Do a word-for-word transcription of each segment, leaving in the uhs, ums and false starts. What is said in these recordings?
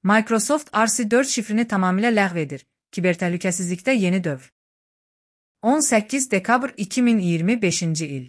Microsoft R C dörd şifrini tamamilə ləğv edir. Kibertəhlükəsizlikdə yeni dövr. on səkkiz dekabr iki min iyirmi beşinci il.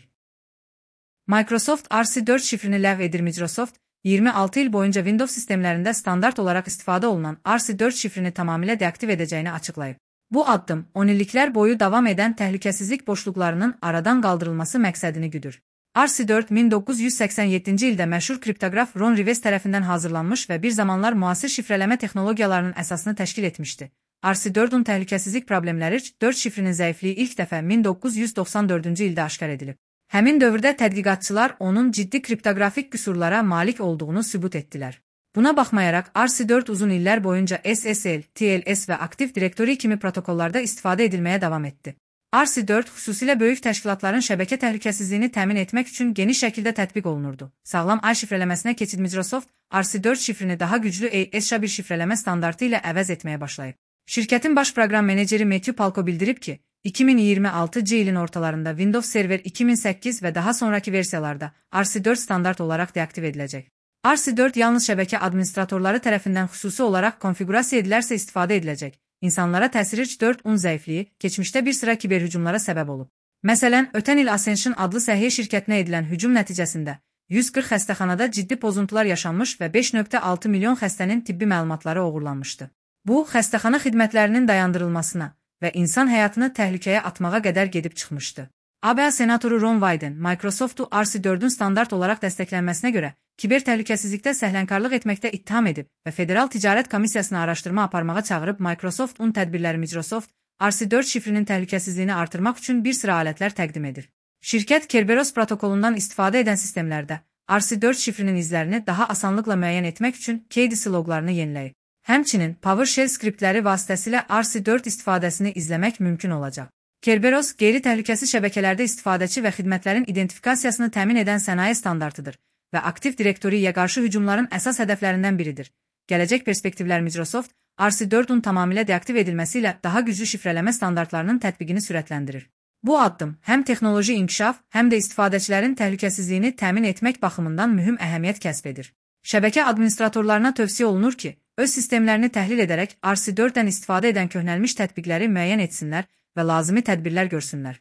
Microsoft R C dörd şifrini ləğv edir. Microsoft, iyirmi altı il boyunca Windows sistemlərində standart olaraq istifadə olunan R C dörd şifrini tamamilə deaktiv edəcəyini açıqlayıb. Bu addım, on illiklər boyu davam edən təhlükəsizlik boşluqlarının aradan qaldırılması məqsədini güdür. R C dörd min doqquz yüz səksən yeddinci ildə məşhur kriptoqraf Ron Rivest tərəfindən hazırlanmış və bir zamanlar müasir şifrələmə texnologiyalarının əsasını təşkil etmişdi. R C dördün təhlükəsizlik problemləri dörd şifrinin zəifliyi ilk dəfə min doqquz yüz doxsan dördüncü ildə aşkar edilib. Həmin dövrdə tədqiqatçılar onun ciddi kriptoqrafik qüsurlara malik olduğunu sübut etdilər. Buna baxmayaraq, R C dörd uzun illər boyunca S S L, T L S və Active Directory kimi protokollarda istifadə edilməyə davam etdi. R C dörd xüsusilə böyük təşkilatların şəbəkə təhlükəsizliyini təmin etmək üçün geniş şəkildə tətbiq olunurdu. Sağlam ağ şifrələməsinə keçid Microsoft, R C dörd şifrini daha güclü A S H A bir şifrələmə standartı ilə əvəz etməyə başlayıb. Şirkətin baş proqram meneceri Matthew Palko bildirib ki, iki min iyirmi altıncı ilin ortalarında Windows Server iki min səkkiz və daha sonraki versiyalarda R C dörd standart olaraq deaktiv ediləcək. R C dörd yalnız şəbəkə administratorları tərəfindən xüsusi olaraq konfiqurasiya edilərsə istifadə ediləcək. İnsanlara təsiri dörd un zəifliyi keçmişdə bir sıra kiberhücumlara səbəb olub. Məsələn, ötən il Ascension adlı səhiyyə şirkətinə edilən hücum nəticəsində yüz qırx xəstəxanada ciddi pozuntular yaşanmış və beş nöqtə altı milyon xəstənin tibbi məlumatları oğurlanmışdı. Bu, xəstəxana xidmətlərinin dayandırılmasına və insan həyatını təhlükəyə atmağa qədər gedib çıxmışdı. A B A senatoru Ron Wyden, Microsoft'u R C dördün standart olaraq dəstəklənməsinə görə kiber təhlükəsizlikdə səhlənkarlıq etməkdə ittiham edib və Federal Ticarət Komissiyasına araşdırma aparmağa çağırıb. Microsoft un tədbirləri Microsoft, R C dörd şifrinin təhlükəsizliyini artırmaq üçün bir sıra alətlər təqdim edir. Şirkət Kerberos protokolundan istifadə edən sistemlərdə R C dörd şifrinin izlərini daha asanlıqla müəyyən etmək üçün K D C loqlarını yeniləyib. Həmçinin PowerShell skriptləri vasitəsilə R C dörd istifadəsini izləmək mümkün olacaq. Kerberos, qeyri-təhlükəsiz şəbəkələrdə istifadəçi və xidmətlərin identifikasiyasını təmin edən sənaye standartıdır və Active Directory-yə qarşı hücumların əsas hədəflərindən biridir. Gələcək perspektivlər Microsoft, R C dördün tamamilə deaktiv edilməsi ilə daha güclü şifrələmə standartlarının tətbiqini sürətləndirir. Bu addım həm texnoloji inkişaf, həm də istifadəçilərin təhlükəsizliyini təmin etmək baxımından mühüm əhəmiyyət kəsb edir. Şəbəkə administratorlarına tövsiyə olunur ki, öz sistemlərini təhlil edərək R C dörddən istifadə edən köhnəlmiş tətbiqləri müəyyən etsinlər və lazımi tədbirlər görsünlər.